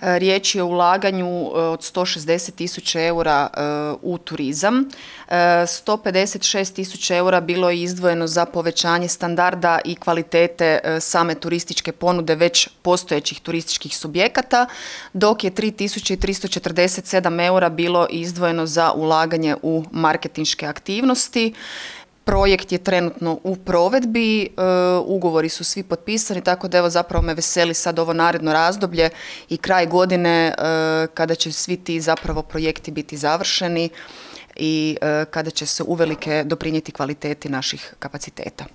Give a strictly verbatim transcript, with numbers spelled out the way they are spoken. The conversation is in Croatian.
Riječ je o ulaganju od sto šezdeset tisuća eura u turizam. sto pedeset šest tisuća eura bilo je izdvojeno za povećanje standarda i kvalitete same turističke ponude već postojećih turističkih subjekata, dok je tri tisuće tristo četrdeset sedam eura bilo izdvojeno za ulaganje u marketinške aktivnosti. Projekt je trenutno u provedbi, e, ugovori su svi potpisani, tako da evo zapravo me veseli sad ovo naredno razdoblje i kraj godine e, kada će svi ti zapravo projekti biti završeni i e, kada će se uvelike doprinijeti kvaliteti naših kapaciteta.